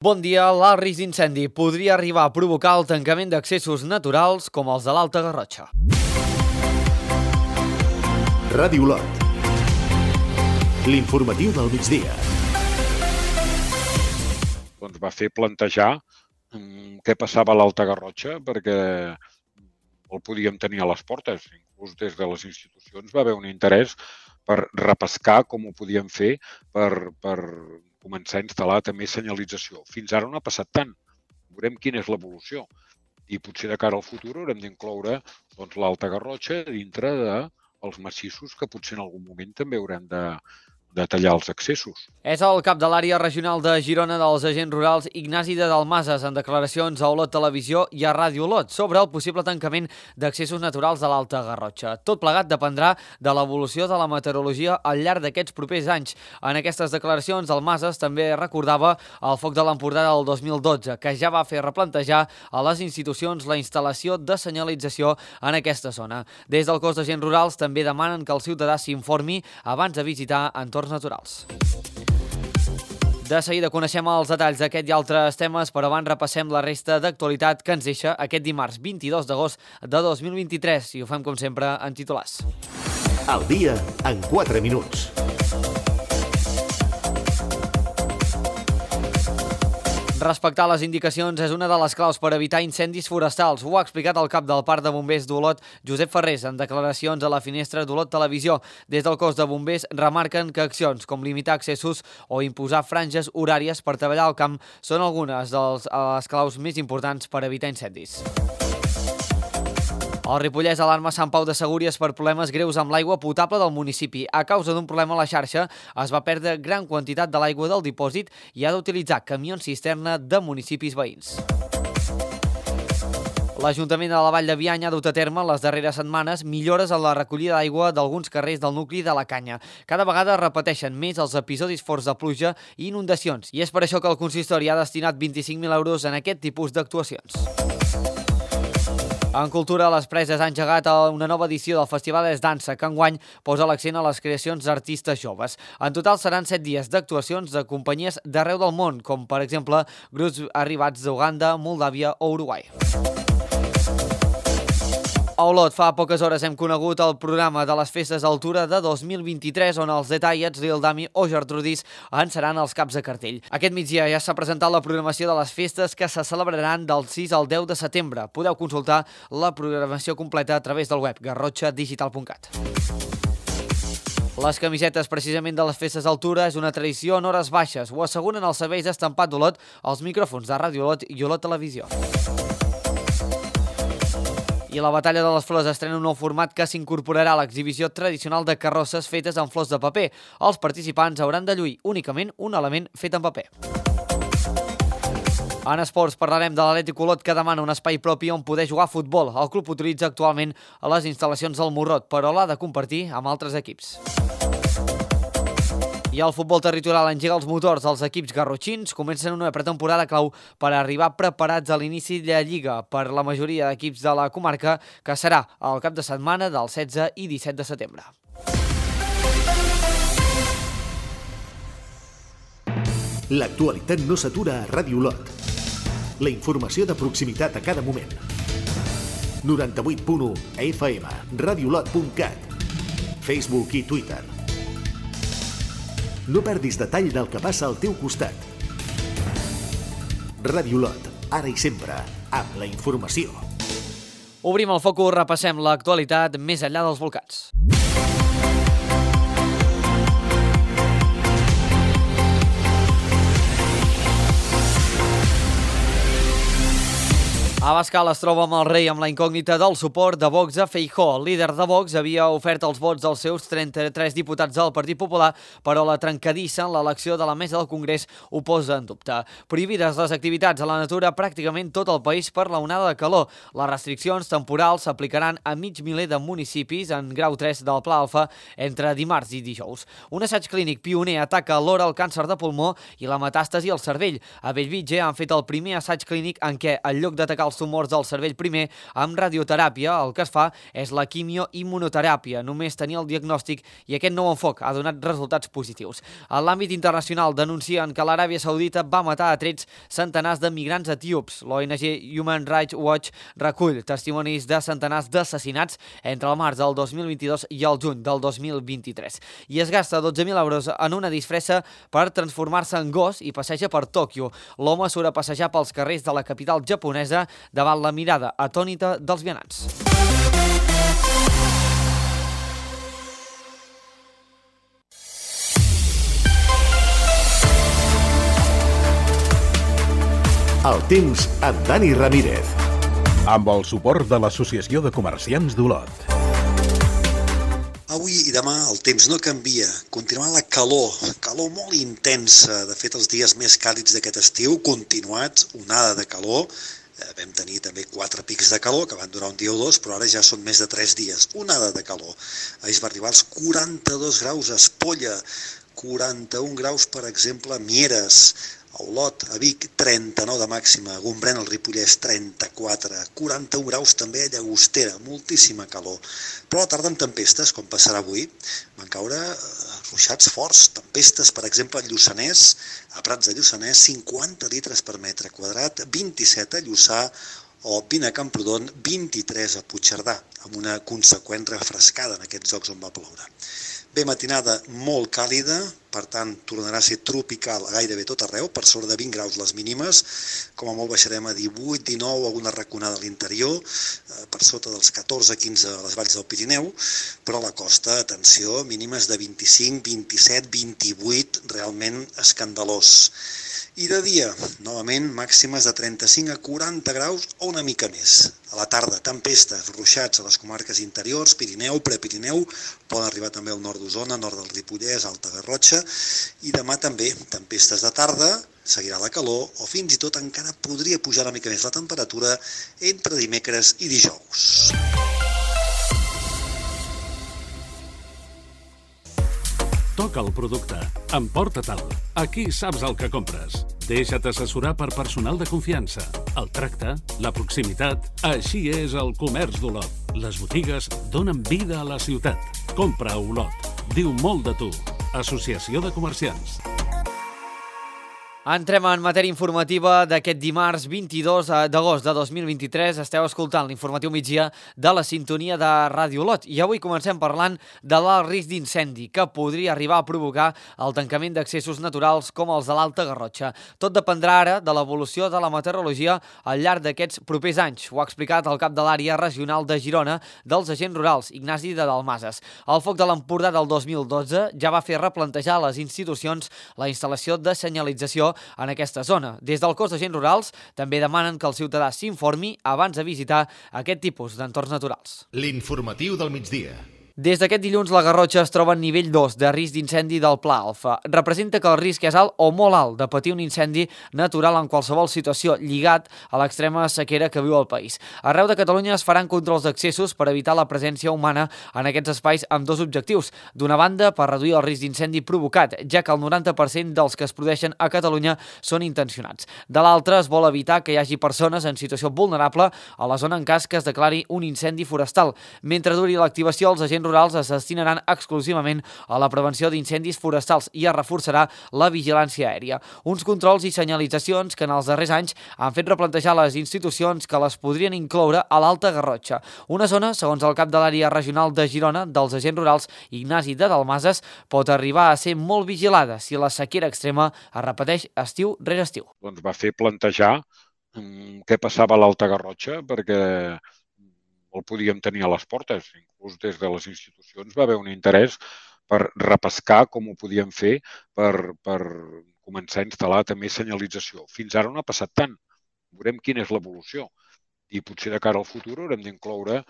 Bon dia, l'alt risc d'incendi podria arribar a provocar el tancament d'accessos naturals com els de l'Alta Garrotxa. Ràdio Olot. L'informatiu del migdia. Doncs va fer plantejar què passava a l'Alta Garrotxa perquè el podíem tenir a les portes. Inclús des de les institucions va haver un interès per repescar com ho podíem fer per començar a instal·lar també senyalització. Fins ara no ha passat tant. Veurem quina és l'evolució. I potser de cara al futur haurem d'incloure l'Alta Garrotxa dintre dels massissos que potser en algun moment també haurem de tallar els accessos. És el cap de l'àrea regional de Girona dels agents rurals, Ignasi de Dalmases, en declaracions a Olot Televisió i a Ràdio Olot sobre el possible tancament d'accessos naturals de l'Alta Garrotxa. Tot plegat dependrà de l'evolució de la meteorologia al llarg d'aquests propers anys. En aquestes declaracions, Dalmases també recordava el foc de l'Empordà del 2012, que ja va fer replantejar a les institucions la instal·lació de senyalització en aquesta zona. Des del cos d'agents rurals també demanen que el ciutadà s'informi abans de visitar entorns naturals. De seguida coneixem els detalls d'aquest i altres temes, però abans repassem la resta d'actualitat que ens deixa aquest dimarts 22 d'agost de 2023 i ho fem com sempre en titulars. Al dia en 4 minuts. Respectar les indicacions és una de les claus per evitar incendis forestals. Ho ha explicat el cap del Parc de Bombers d'Olot, Josep Ferrés, en declaracions a la finestra d'Olot Televisió. Des del cos de bombers remarquen que accions com limitar accessos o imposar franges horàries per treballar al camp són algunes de les claus més importants per evitar incendis. El Ripollès alarma Sant Pau de Segúries per problemes greus amb l'aigua potable del municipi. A causa d'un problema a la xarxa, es va perdre gran quantitat de l'aigua del dipòsit i ha d'utilitzar camions cisterna de municipis veïns. L'Ajuntament de la Vall de Bianya ha dut a terme les darreres setmanes millores en la recollida d'aigua d'alguns carrers del nucli de la Canya. Cada vegada repeteixen més els episodis forts de pluja i inundacions, i és per això que el consistori ha destinat 25.000 euros en aquest tipus d'actuacions. En cultura, les Preses han engegat una nova edició del Festival Es Dansa, que enguany posa l'accent a les creacions d'artistes joves. En total seran 7 dies d'actuacions de companyies d'arreu del món, com per exemple grups arribats d'Uganda, Moldàvia o Uruguai. A Olot, fa poques hores hem conegut el programa de les Festes Altura de 2023, on els Detallets, Lil Dami o Gertrudis en seran els caps de cartell. Aquest migdia ja s'ha presentat la programació de les festes que se celebraran del 6 al 10 de setembre. Podeu consultar la programació completa a través del web garrotxadigital.cat. Les camisetes precisament de les Festes Altura és una tradició en hores baixes. Ho asseguren els serveis d'estampat d'Olot, els micròfons de Ràdio Olot i Olot Televisió. I la Batalla de les Flors estrena un nou format que s'incorporarà a l'exhibició tradicional de carrosses fetes amb flors de paper. Els participants hauran de lluir únicament un element fet en paper. En esports parlarem de l'Atlètic Olot, que demana un espai propi on poder jugar a futbol. El club utilitza actualment les instal·lacions del Morrot, però l'ha de compartir amb altres equips. I el futbol territorial engega els motors. Els equips garrotxins comencen una pretemporada clau per arribar preparats a l'inici de la Lliga per la majoria d'equips de la comarca, que serà el cap de setmana del 16 i 17 de setembre. L'actualitat no s'atura a Ràdio Olot. La informació de proximitat a cada moment. 98.1 FM, radiolot.cat, Facebook i Twitter. No perdis detall del que passa al teu costat. Ràdio Olot, ara i sempre, amb la informació. Obrim el focus, repassem l'actualitat més enllà dels volcans. Abascal es troba amb el rei amb la incògnita del suport de Vox a Feijóo. El líder de Vox havia ofert els vots dels seus 33 diputats del Partit Popular, però la trencadissa en l'elecció de la mesa del Congrés ho posa en dubte. Prohibides les activitats a la natura pràcticament tot el país per la onada de calor. Les restriccions temporals s'aplicaran a mig miler de municipis en grau 3 del Pla Alfa entre dimarts i dijous. Un assaig clínic pioner ataca alhora el càncer de pulmó i la metàstasi al cervell. A Bellvitge han fet el primer assaig clínic en què, en lloc d'atacar els tumors del cervell primer amb radioteràpia. El que es fa és la quimioimmunoteràpia. Només tenir el diagnòstic i aquest nou enfoc ha donat resultats positius. En l'àmbit internacional denuncien que l'Aràbia Saudita va matar a trets centenars de migrants etíops. L'ONG Human Rights Watch recull testimonis de centenars d'assassinats entre el març del 2022 i el juny del 2023. I es gasta 12.000 euros en una disfressa per transformar-se en gos i passeja per Tòquio. L'home surt a passejar pels carrers de la capital japonesa davant la mirada atònita dels vianants. El temps amb Dani Ramírez. Amb el suport de l'Associació de Comerciants d'Olot. Avui i demà el temps no canvia, continuarà la calor molt intensa. De fet, els dies més càlids d'aquest estiu, continuats, onada de calor. Vam tenir també 4 pics de calor, que van durar un dia o dos, però ara ja són més de 3 dies. Onada de calor. Ahir es va arribar als 42 graus a Espolla, 41 graus, per exemple, a Mieres, a Olot, a Vic, 39 de màxima, a Gombrèn, al Ripollès, 34, 41 graus també a Llagostera, moltíssima calor. Però a la tarda amb tempestes, com passarà avui, van caure ruixats forts, tempestes, per exemple, a Lluçanès, a Prats de Lluçanès, 50 litres per metre quadrat, 27 a Lluçà, o 20 a Camprodon, 23 a Puigcerdà, amb una conseqüent refrescada en aquests llocs on va ploure. Bé, matinada molt càlida, per tant, tornarà a ser tropical gairebé tot arreu, per sobre de 20 graus les mínimes, com a molt baixarem a 18, 19, alguna raconada a l'interior, per sota dels 14, 15 a les valls del Pirineu, però a la costa, atenció, mínimes de 25, 27, 28, realment escandalós. I de dia, novament, màximes de 35 a 40 graus o una mica més. A la tarda, tempestes, ruixats a les comarques interiors, Pirineu, Prepirineu, poden arribar també al nord d'Osona, nord del Ripollès, Alta Garrotxa, i demà també, tempestes de tarda, seguirà la calor, o fins i tot encara podria pujar una mica més la temperatura entre dimecres i dijous. Toca el producte. Emporta-te'l. Aquí saps el que compres. Deixa't assessorar per personal de confiança. El tracte, la proximitat... Així és el comerç d'Olot. Les botigues donen vida a la ciutat. Compra a Olot. Diu molt de tu. Associació de Comerciants. Entrem en matèria informativa d'aquest dimarts 22 d'agost de 2023. Esteu escoltant l'informatiu migdia de la sintonia de Ràdio Olot. I avui comencem parlant de l'alt risc d'incendi que podria arribar a provocar el tancament d'accessos naturals com els de l'Alta Garrotxa. Tot dependrà ara de l'evolució de la meteorologia al llarg d'aquests propers anys. Ho ha explicat el cap de l'àrea regional de Girona dels agents rurals, Ignasi de Dalmases. El foc de l'Empordà del 2012 ja va fer replantejar a les institucions la instal·lació de senyalització en aquesta zona. Des del cos d'agents rurals també demanen que el ciutadà s'informi abans de visitar aquest tipus d'entorns naturals. L'informatiu del migdia. Des d'aquest dilluns, la Garrotxa es troba en nivell 2 de risc d'incendi del Pla Alfa. Representa que el risc és alt o molt alt de patir un incendi natural en qualsevol situació lligat a l'extrema sequera que viu el país. Arreu de Catalunya es faran controls d'accessos per evitar la presència humana en aquests espais amb dos objectius. D'una banda, per reduir el risc d'incendi provocat, ja que el 90% dels que es produeixen a Catalunya són intencionats. De l'altra, es vol evitar que hi hagi persones en situació vulnerable a la zona en cas que es declari un incendi forestal. Mentre duri l'activació, els agents rurals es destinaran exclusivament a la prevenció d'incendis forestals i es reforçarà la vigilància aèria. Uns controls i senyalitzacions que en els darrers anys han fet replantejar les institucions que les podrien incloure a l'Alta Garrotxa. Una zona, segons el cap de l'àrea regional de Girona dels agents rurals, Ignasi de Dalmases, pot arribar a ser molt vigilada si la sequera extrema es repeteix estiu rere estiu. Doncs va fer plantejar què passava a l'Alta Garrotxa, perquè el podíem tenir a les portes. Inclús des de les institucions va haver un interès per repescar com ho podíem fer per començar a instal·lar també senyalització. Fins ara no ha passat tant. Veurem quina és l'evolució. I potser de cara al futur haurem d'incloure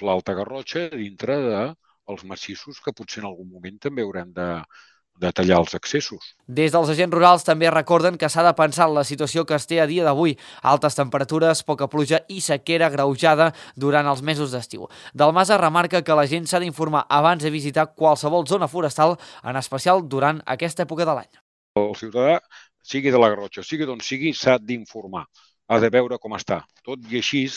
l'Alta Garrotxa dintre dels massissos que potser en algun moment també haurem de tallar els accessos. Des dels agents rurals també recorden que s'ha de pensar en la situació que es té a dia d'avui. Altes temperatures, poca pluja i sequera agreujada durant els mesos d'estiu. Dalmases remarca que la gent s'ha d'informar abans de visitar qualsevol zona forestal, en especial durant aquesta època de l'any. El ciutadà, sigui de la Garrotxa, sigui d'on sigui, s'ha d'informar ha de veure com està. Tot i així,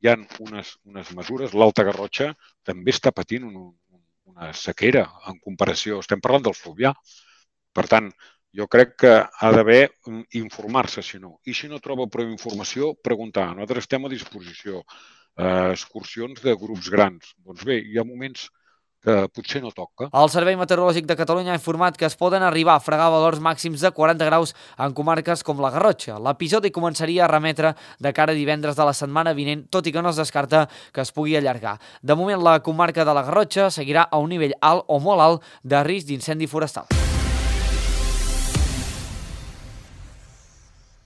hi ha unes mesures. L'Alta Garrotxa també està patint una sequera en comparació. Estem parlant del Fluvià. Per tant, jo crec que ha d'haver informar-se, si no. I si no troba prou informació, preguntar. Nosaltres estem a disposició. Excursions de grups grans. Doncs bé, hi ha moments que potser no toca. El Servei Meteorològic de Catalunya ha informat que es poden arribar a fregar valors màxims de 40 graus en comarques com la Garrotxa. L'episodi començaria a remetre de cara a divendres de la setmana vinent, tot i que no es descarta que es pugui allargar. De moment, la comarca de la Garrotxa seguirà a un nivell alt o molt alt de risc d'incendi forestal.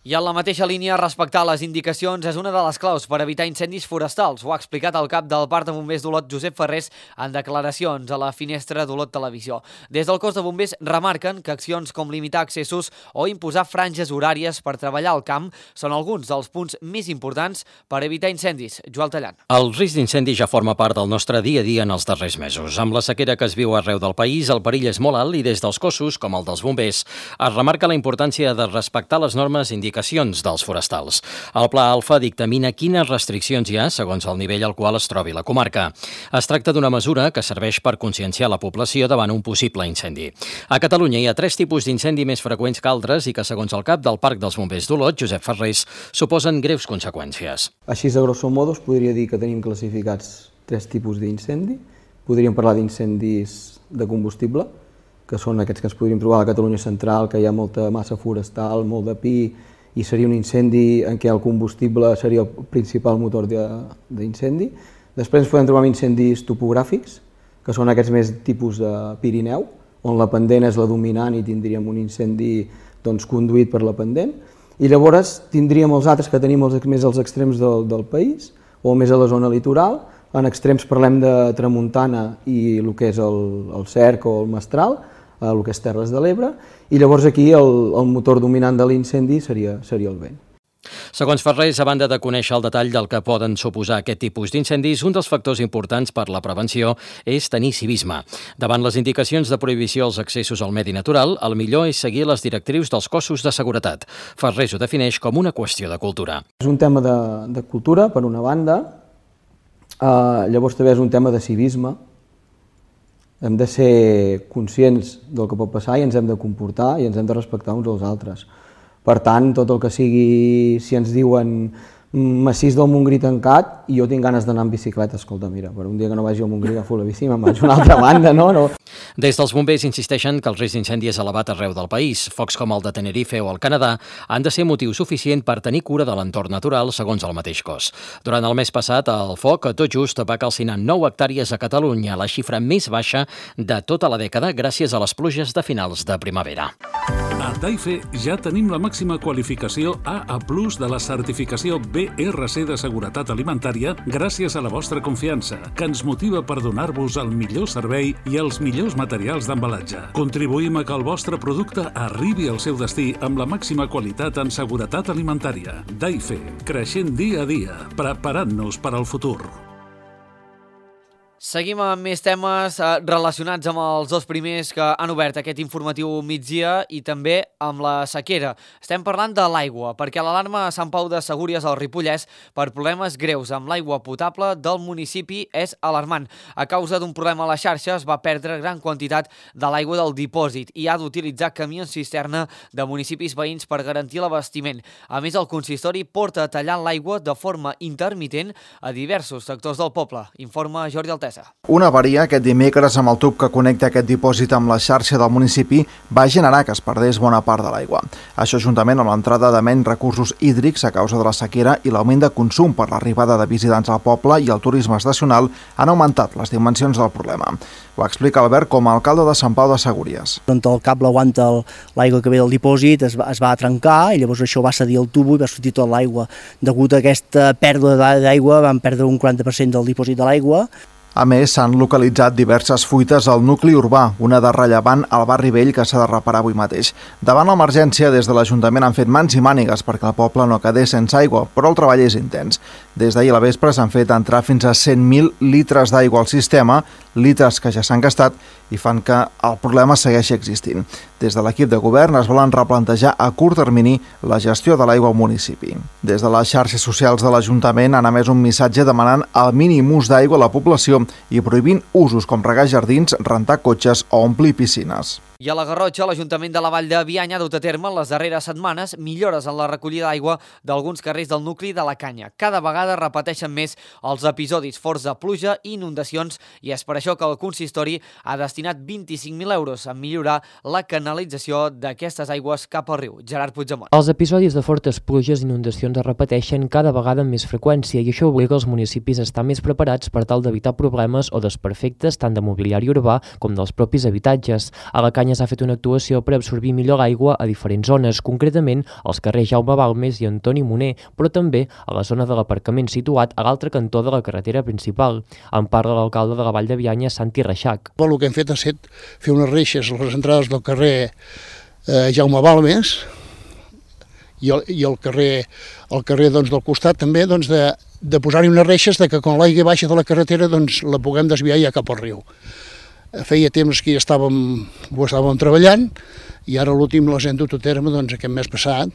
I en la mateixa línia, respectar les indicacions és una de les claus per evitar incendis forestals. Ho ha explicat el cap del Parc de Bombers d'Olot, Josep Ferrés, en declaracions a la finestra d'Olot Televisió. Des del cos de bombers remarquen que accions com limitar accessos o imposar franges horàries per treballar al camp són alguns dels punts més importants per evitar incendis. Joel Tallant. El risc d'incendi ja forma part del nostre dia a dia en els darrers mesos. Amb la sequera que es viu arreu del país, el perill és molt alt i des dels cossos, com el dels bombers, es remarca la importància de respectar les normes indicacions dels forestals. El Pla Alfa dictamina quines restriccions hi ha segons el nivell al qual es trobi la comarca. Es tracta d'una mesura que serveix per conscienciar la població davant un possible incendi. A Catalunya hi ha 3 tipus d'incendi més freqüents que altres i que, segons el cap del Parc dels Bombers d'Olot, Josep Ferrés, suposen greus conseqüències. Així, a grosso modo, es podria dir que tenim classificats 3 tipus d'incendi. Podríem parlar d'incendis de combustible, que són aquests que ens podríem trobar a la Catalunya central, que hi ha molta massa forestal, molt de pi, i seria un incendi en què el combustible seria el principal motor d'incendi. Després ens podem trobar amb incendis topogràfics, que són aquests més tipus de Pirineu, on la pendent és la dominant i tindríem un incendi conduït per la pendent. I llavors tindríem els altres que tenim més als extrems del país, o més a la zona litoral. En extrems parlem de tramuntana i el que és el Cerc o el Mestral, el que és Terres de l'Ebre, i llavors aquí el motor dominant de l'incendi seria el vent. Segons Ferrés, a banda de conèixer el detall del que poden suposar aquest tipus d'incendis, un dels factors importants per la prevenció és tenir civisme. Davant les indicacions de prohibició als accessos al medi natural, el millor és seguir les directrius dels cossos de seguretat. Ferrés ho defineix com una qüestió de cultura. És un tema de cultura, per una banda, llavors també és un tema de civisme. Hem de ser conscients del que pot passar i ens hem de comportar i ens hem de respectar uns als altres. Per tant, tot el que sigui, si ens diuen massís del Montgrí tancat i jo tinc ganes d'anar amb bicicleta, escolta, mira, per un dia que no vagi al Montgrí agafo la bici i me'n vaig a una altra banda, no? Des dels bombers insisteixen que el risc d'incendi és elevat arreu del país. Focs com el de Tenerife o el Canadà han de ser motiu suficient per tenir cura de l'entorn natural, segons el mateix cos. Durant el mes passat, el foc tot just va calcinar 9 hectàrees a Catalunya, la xifra més baixa de tota la dècada gràcies a les pluges de finals de primavera. A Daife ja tenim la màxima qualificació AA+ de la certificació BRC de Seguretat Alimentària gràcies a la vostra confiança, que ens motiva per donar-vos el millor servei i els millors materials d'embalatge. Contribuïm a que el vostre producte arribi al seu destí amb la màxima qualitat en seguretat alimentària. Daife, creixent dia a dia, preparant-nos per al futur. Seguim amb més temes relacionats amb els dos primers que han obert aquest informatiu migdia i també amb la sequera. Estem parlant de l'aigua, perquè l'alarma a Sant Pau de Segúries al Ripollès per problemes greus amb l'aigua potable del municipi és alarmant. A causa d'un problema a la xarxa es va perdre gran quantitat de l'aigua del dipòsit i ha d'utilitzar camions cisterna de municipis veïns per garantir l'abastiment. A més, el consistori porta tallant l'aigua de forma intermitent a diversos sectors del poble. Informa Jordi Altesa. Una avaria aquest dimecres amb el tub que connecta aquest dipòsit amb la xarxa del municipi va generar que es perdés bona part de l'aigua. Això, juntament amb l'entrada de menys recursos hídrics a causa de la sequera i l'augment de consum per l'arribada de visitants al poble i el turisme estacional, han augmentat les dimensions del problema. Ho explica Albert com a alcalde de Sant Pau de Segúries. El cable aguanta l'aigua que ve del dipòsit, es va trencar i llavors això va cedir el tubo i va sortir tota l'aigua. Degut a aquesta pèrdua d'aigua vam perdre un 40% del dipòsit de l'aigua. A més, s'han localitzat diverses fuites al nucli urbà, una de rellevant al barri vell que s'ha de reparar avui mateix. Davant l'emergència, des de l'Ajuntament han fet mans i mànigues perquè el poble no quedés sense aigua, però el treball és intens. Des d'ahir a la vespre s'han fet entrar fins a 100.000 litres d'aigua al sistema, litres que ja s'han gastat i fan que el problema segueixi existint. Des de l'equip de govern es volen replantejar a curt termini la gestió de l'aigua al municipi. Des de les xarxes socials de l'Ajuntament han emès un missatge demanant el mínim ús d'aigua a la població i prohibint usos com regar jardins, rentar cotxes o omplir piscines. I a la Garrotxa, l'Ajuntament de la Vall de Bianya ha dut a terme en les darreres setmanes millores en la recollida d'aigua d'alguns carrers del nucli de la Canya. Cada vegada repeteixen més els episodis forts de pluja i inundacions i és per això que el consistori ha destinat 25.000 euros a millorar la canalització d'aquestes aigües cap al riu. Gerard Puigdemont. Els episodis de fortes pluges i inundacions es repeteixen cada vegada amb més freqüència i això obliga els municipis a estar més preparats per tal d'evitar problemes o desperfectes tant de mobiliari urbà com dels propis habitatges. A la Canya s'ha fet una actuació per absorbir millor l'aigua a diferents zones, concretament als carrers Jaume Balmes i Antoni Moner, però també a la zona de l'aparcament situat a l'altre cantó de la carretera principal. En parla l'alcalde de la Vall de Bianya, Santi Reixac. El que hem fet ha estat fer unes reixes a les entrades del carrer Jaume Balmes i el carrer del costat també de posar-hi unes reixes que quan l'aigua baixa de la carretera la puguem desviar ja cap al riu. Feia temps que ho estàvem treballant i ara l'últim les hem dut a terme aquest mes passat.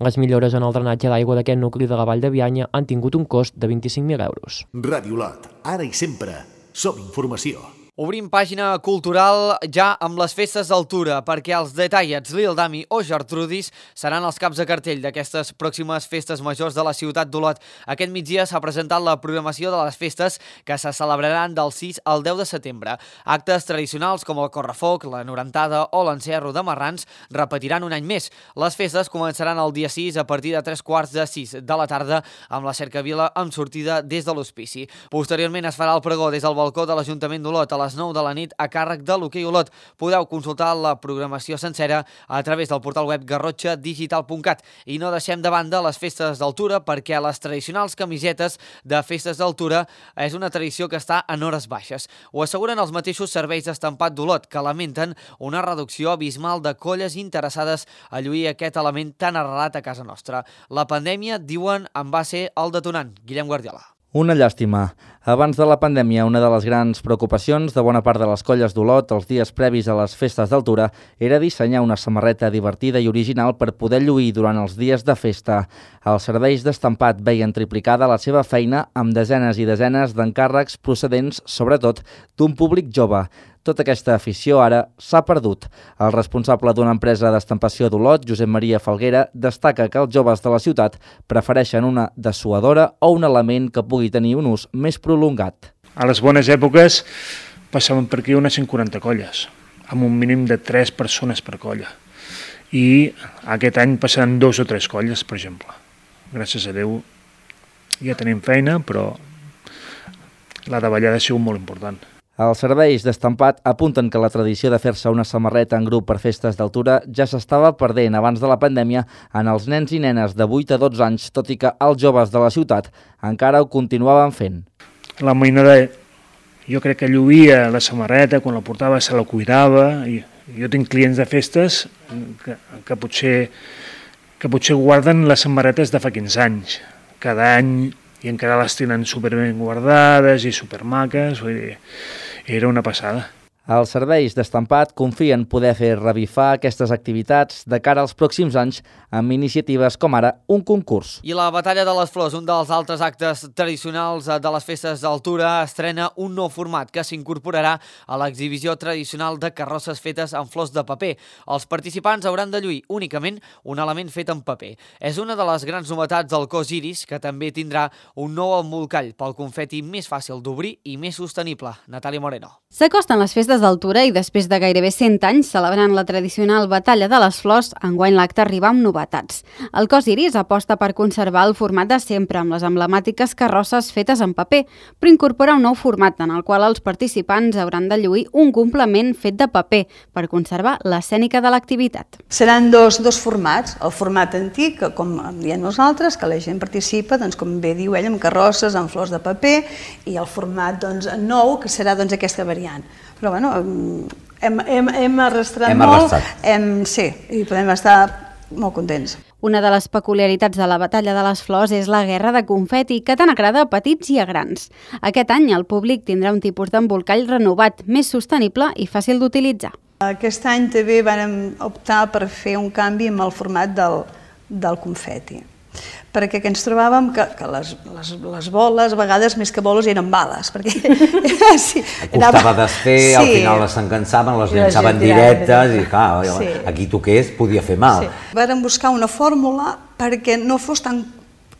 Les millores en el drenatge d'aigua d'aquest nucli de la Vall de Bianya han tingut un cost de 25.000 euros. Ràdio Lot, ara i sempre, som informació. Obrim pàgina cultural ja amb les festes d'altura, perquè els Detallets, Lil Dami o Gertrudis seran els caps de cartell d'aquestes pròximes festes majors de la ciutat d'Olot. Aquest migdia s'ha presentat la programació de les festes que se celebraran del 6 al 10 de setembre. Actes tradicionals com el correfoc, la norentada o l'encerro de marrans repetiran un any més. Les festes començaran el dia 6 a partir de 3:45 de la tarda amb la cercavila amb sortida des de l'hospici. Posteriorment es farà el pregó des del balcó de l'Ajuntament d'Olot a les 9 de la nit a càrrec de l'Hoquei Olot. Podeu consultar la programació sencera a través del portal web garrotxadigital.cat. I no deixem de banda les festes d'altura perquè les tradicionals camisetes de festes d'altura és una tradició que està en hores baixes. Ho asseguren els mateixos serveis d'estampat d'Olot, que lamenten una reducció abismal de colles interessades a lluir aquest element tan arrelat a casa nostra. La pandèmia, diuen, en va ser el detonant. Guillem Guardiola. Una llàstima. Abans de la pandèmia, una de les grans preocupacions de bona part de les colles d'Olot els dies previs a les festes d'altura era dissenyar una samarreta divertida i original per poder lluir durant els dies de festa. Els serveis d'estampat veien triplicada la seva feina amb desenes i desenes d'encàrrecs procedents, sobretot, d'un públic jove. Tota aquesta afició ara s'ha perdut. El responsable d'una empresa d'estampació d'Olot, Josep Maria Falguera, destaca que els joves de la ciutat prefereixen una dessuadora o un element que pugui tenir un ús més prolongat. A les bones èpoques passaven per aquí unes 140 colles, amb un mínim de 3 persones per colla. I aquest any passaran 2 o 3 colles, per exemple. Gràcies a Déu ja tenim feina, però la davallada ha sigut molt important. Els serveis d'estampat apunten que la tradició de fer-se una samarreta en grup per festes d'altura ja s'estava perdent abans de la pandèmia en els nens i nenes de 8 a 12 anys, tot i que els joves de la ciutat encara ho continuaven fent. La mainada, jo crec que lluïa la samarreta, quan la portava se la cuidava. Jo tinc clients de festes que potser guarden les samarretes de fa 15 anys, cada any, i encara les tenen superben guardades i supermaques, vull dir, era una passada. Els serveis d'estampat confien poder fer revifar aquestes activitats de cara als pròxims anys amb iniciatives com ara un concurs. I la Batalla de les Flors, un dels altres actes tradicionals de les festes d'altura, estrena un nou format que s'incorporarà a l'exhibició tradicional de carrosses fetes amb flors de paper. Els participants hauran de lluir únicament un element fet en paper. És una de les grans novetats del cos Iris, que també tindrà un nou embolcall pel confeti més fàcil d'obrir i més sostenible. Natàlia Moreno. S'acosten les festes d'altura i després de gairebé 100 anys celebrant la tradicional Batalla de les Flors, enguany l'acte arriba amb novetats. El cos Iris aposta per conservar el format de sempre amb les emblemàtiques carrosses fetes en paper, però incorpora un nou format en el qual els participants hauran de lluir un complement fet de paper per conservar l'escènica de l'activitat. Seran dos formats, el format antic, com diem nosaltres, que la gent participa, com bé diu ell, amb carrosses, amb flors de paper, i el format nou, que serà aquesta variant. Però bueno, hem arrastrat molt, sí, i podem estar molt contents. Una de les peculiaritats de la Batalla de les Flors és la guerra de confeti, que tant agrada a petits i a grans. Aquest any el públic tindrà un tipus d'embolcall renovat, més sostenible i fàcil d'utilitzar. Aquest any també vam optar per fer un canvi amb el format del confeti, perquè ens trobàvem que les boles, a vegades més que boles, eren bales. Costava desfer, al final s'encansaven, les llançaven directes i clar, a qui toqués podia fer mal. Vàrem buscar una fórmula perquè no fos tan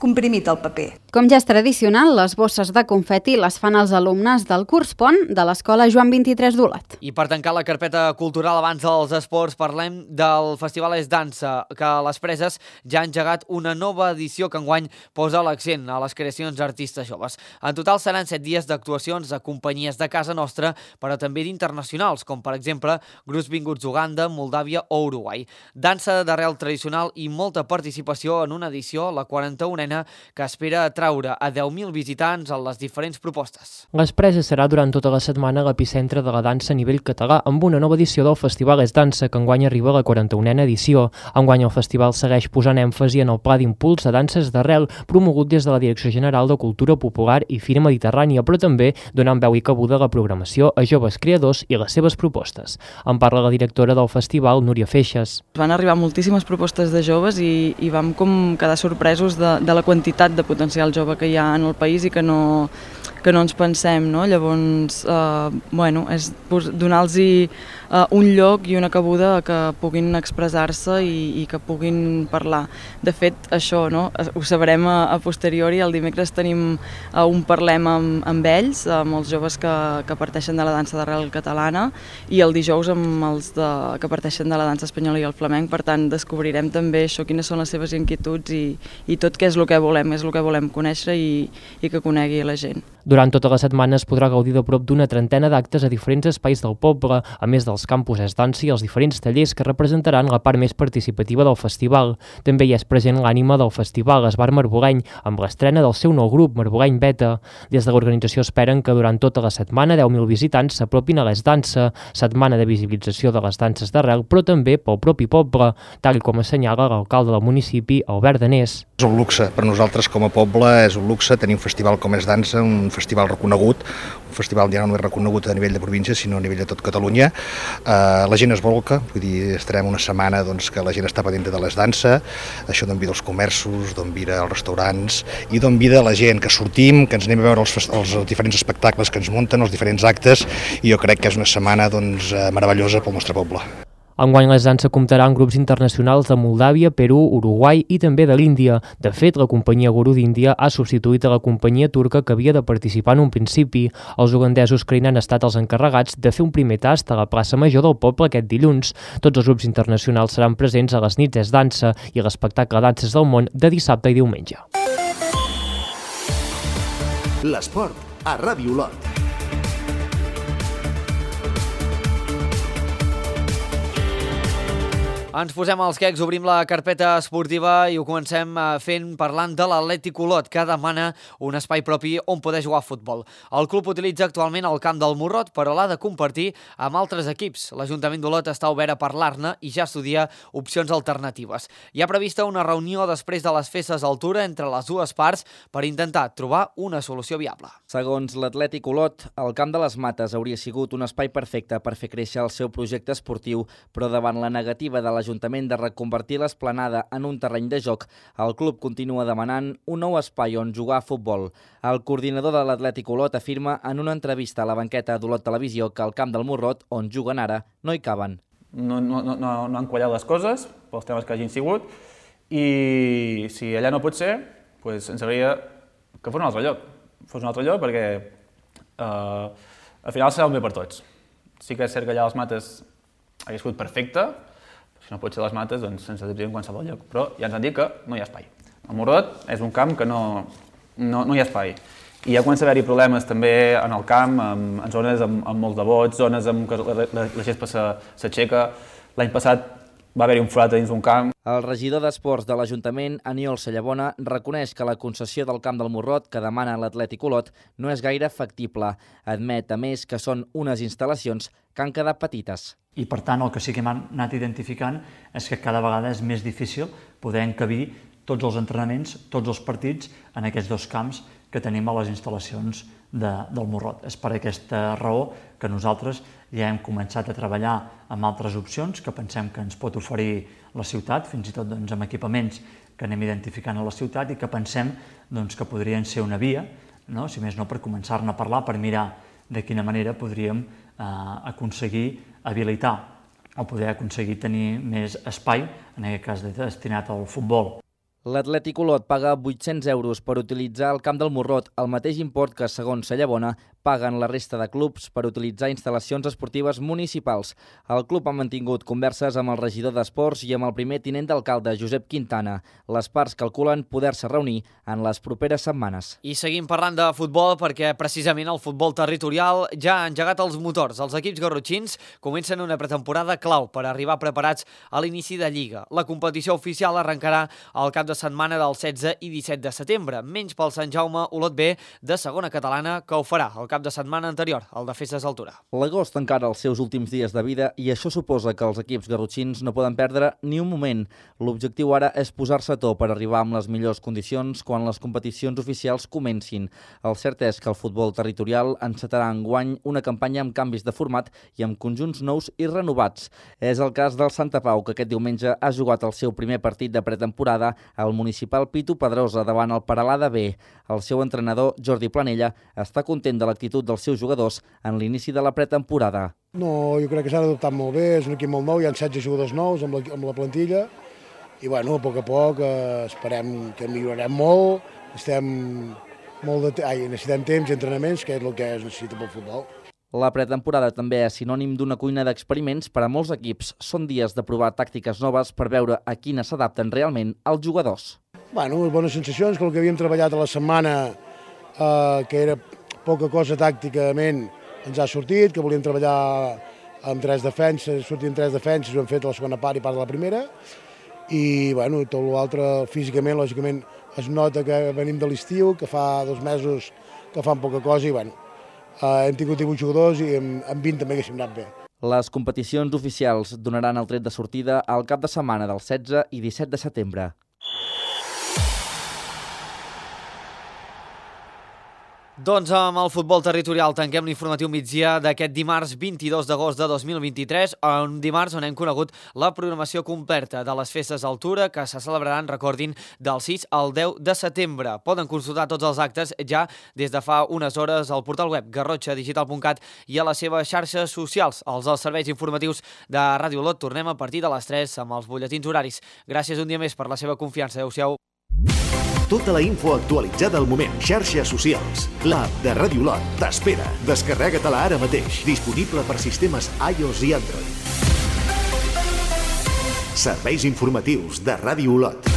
comprimit el paper. Com ja és tradicional, les bosses de confeti les fan els alumnes del curs pont de l'Escola Joan 23 d'Olot. I per tancar la carpeta cultural abans dels esports, parlem del Festival És Dansa, que a les Preses ja ha engegat una nova edició que enguany posa l'accent a les creacions d'artistes joves. En total seran 7 dies d'actuacions de companyies de casa nostra, però també d'internacionals, com per exemple grups vinguts d'Uganda, Moldàvia o Uruguai. Dansa d'arrel tradicional i molta participació en una edició, la 41a, que espera atraure a 10.000 visitants a les diferents propostes. Les Preses serà durant tota la setmana l'epicentre de la dansa a nivell català, amb una nova edició del Festival És Dansa, que enguany arriba a la 41a edició. Enguany el festival segueix posant èmfasi en el pla d'impuls de danses d'arrel, promogut des de la Direcció General de Cultura Popular i Fira Mediterrània, però també donant veu i cabuda a la programació a joves creadors i les seves propostes. En parla la directora del festival, Núria Feixes. Van arribar moltíssimes propostes de joves i vam com quedar sorpresos de la quantitat de potencial jove que hi ha en el país i que no ens pensem, no? Llavors, és donar-los un lloc i una cabuda que puguin expressar-se i que puguin parlar. De fet, això ho sabrem a posteriori. El dimecres tenim un parlem amb ells, amb els joves que parteixen de la dansa d'arrel catalana, i el dijous amb els que parteixen de la dansa espanyola i el flamenc. Per tant, descobrirem també això, quines són les seves inquietuds i tot què és el que volem, és el que volem conèixer i que conegui la gent. Durant tota la setmana es podrà gaudir de prop d'una trentena d'actes a diferents espais del poble, a més dels campus És Dansa i els diferents tallers que representaran la part més participativa del festival. També hi és present l'ànima del festival, Esbar Marboleny, amb l'estrena del seu nou grup, Marboleny Beta. Des de l'organització esperen que durant tota la setmana 10.000 visitants s'apropin a l'És Dansa, setmana de visibilització de les danses d'arrel, però també pel propi poble, tal com assenyala l'alcalde del municipi, Albert Danés. És un luxe, per nosaltres com a poble és un luxe tenir un festival com És Dansa, un festival reconegut, un festival ja no és reconegut a nivell de província, sinó a nivell de tot Catalunya. La gent es volca, vull dir, estarem una setmana que la gent està pendent de l'És Dansa, això d'on vida els comerços, d'on vida els restaurants i d'on vida la gent, que sortim, que ens anem a veure els diferents espectacles que ens munten, els diferents actes, i jo crec que és una setmana meravellosa pel nostre poble. Enguany l'És Dansa comptarà amb grups internacionals de Moldàvia, Perú, Uruguai i també de l'Índia. De fet, la companyia Guru d'Índia ha substituït a la companyia turca que havia de participar en un principi. Els ugandesos que han estat els encarregats de fer un primer tast a la plaça Major del poble aquest dilluns. Tots els grups internacionals seran presents a les nits És Dansa i a l'espectacle Danses del Món de dissabte i diumenge. L'esport a Ràdio Olot. Ens posem als quecs, obrim la carpeta esportiva i ho comencem parlant de l'Atlètic Olot, que demana un espai propi on poder jugar a futbol. El club utilitza actualment el camp del Morrot, però l'ha de compartir amb altres equips. L'Ajuntament d'Olot està obert a parlar-ne i ja estudia opcions alternatives. Hi ha prevista una reunió després de les festes d'altura entre les dues parts per intentar trobar una solució viable. Segons l'Atlètic Olot, el Camp de les Mates hauria sigut un espai perfecte per fer créixer el seu projecte esportiu, però davant la negativa de l'Ajuntament de reconvertir l'esplanada en un terreny de joc, el club continua demanant un nou espai on jugar a futbol. El coordinador de l'Atlètic Olot afirma en una entrevista a la banqueta d'Olot Televisió que al Camp del Morrot, on juguen ara, no hi caben. No han quallat les coses pels temes que hagin sigut i si allà no pot ser, ens agradaria que fos un altre lloc. Fos un altre lloc perquè al final serà un bé per tots. Sí que és cert que allà a les Mates hauria sigut perfecte, si no pot ser a les Mates, doncs sense dubte en qualsevol lloc, però ja ens han dit que no hi ha espai. El Morrot és un camp que no hi ha espai. I ja comença a haver-hi problemes també en el camp, en zones amb molts de vots, zones en què la gespa s'aixeca. L'any passat va haver-hi un forat dins d'un camp. El regidor d'Esports de l'Ajuntament, Aniol Sallabona, reconeix que la concessió del camp del Morrot que demana l'Atlètic Olot no és gaire factible. Admet, a més, que són unes instal·lacions que han quedat petites. I, per tant, el que sí que hem anat identificant és que cada vegada és més difícil poder encabir tots els entrenaments, tots els partits en aquests dos camps que tenim a les instal·lacions del Morrot. És per aquesta raó que nosaltres ja hem començat a treballar amb altres opcions que pensem que ens pot oferir la ciutat, fins i tot amb equipaments que anem identificant a la ciutat i que pensem que podrien ser una via, si més no per començar-ne a parlar, per mirar de quina manera podríem aconseguir habilitar o poder aconseguir tenir més espai, en aquest cas destinat al futbol. L'Atlètic Olot paga 800 euros per utilitzar el camp del Morrot, el mateix import que, segons Sallabona, paguen la resta de clubs per utilitzar instal·lacions esportives municipals. El club ha mantingut converses amb el regidor d'Esports i amb el primer tinent d'alcalde, Josep Quintana. Les parts calculen poder-se reunir en les properes setmanes. I seguim parlant de futbol perquè precisament el futbol territorial ja ha engegat els motors. Els equips garrotxins comencen una pretemporada clau per arribar preparats a l'inici de Lliga. La competició oficial arrencarà al cap de setmana del 16 i 17 de setembre, menys pel Sant Jaume Olot B de segona catalana, que ho farà el cap de setmana anterior, el de Festes d'Altura. L'agost encara els seus últims dies de vida i això suposa que els equips garrotxins no poden perdre ni un moment. L'objectiu ara és posar-se a to per arribar amb les millors condicions quan les competicions oficials comencin. El cert és que el futbol territorial encetarà enguany una campanya amb canvis de format i amb conjunts nous i renovats. És el cas del Santa Pau, que aquest diumenge ha jugat el seu primer partit de pretemporada al municipal Pitu Pedrosa davant el Peralada B. El seu entrenador, Jordi Planella, està content de l'actitud dels seus jugadors en l'inici de la pretemporada. No, jo crec que s'han adoptat molt bé, és un equip molt nou, hi ha 16 jugadors nous amb la plantilla i a poc a poc esperem que millorarem molt, necessitem temps i entrenaments, que és el que es necessita pel futbol. La pretemporada també és sinònim d'una cuina d'experiments per a molts equips. Són dies de provar tàctiques noves per veure a quines s'adapten realment els jugadors. Bones sensacions, que el que havíem treballat a la setmana, que era poca cosa tàcticament, ens ha sortit, que volíem treballar amb 3 defenses, sortint 3 defenses, ho hem fet a la segona part i part de la primera, i tot l'altre físicament, lògicament, es nota que venim de l'estiu, que fa 2 mesos que fan poca cosa i hem tingut 18 jugadors i amb 20 també haguéssim anat bé. Les competicions oficials donaran el tret de sortida al cap de setmana del 16 i 17 de setembre. Doncs amb el futbol territorial tanquem l'informatiu migdia d'aquest dimarts 22 d'agost de 2023, un dimarts on hem conegut la programació completa de les festes d'Altura que se celebraran, recordin, del 6 al 10 de setembre. Poden consultar tots els actes ja des de fa unes hores al portal web garrotxadigital.cat i a les seves xarxes socials. Els serveis informatius de Ràdio Olot tornem a partir de les 3 amb els butlletins horaris. Gràcies un dia més per la seva confiança. Adéu-siau. Tota la info actualitzada al moment. Xarxes socials. L'app de Ràdio Olot t'espera. Descarrega-te-la ara mateix. Disponible per sistemes iOS i Android. Serveis informatius de Ràdio Olot.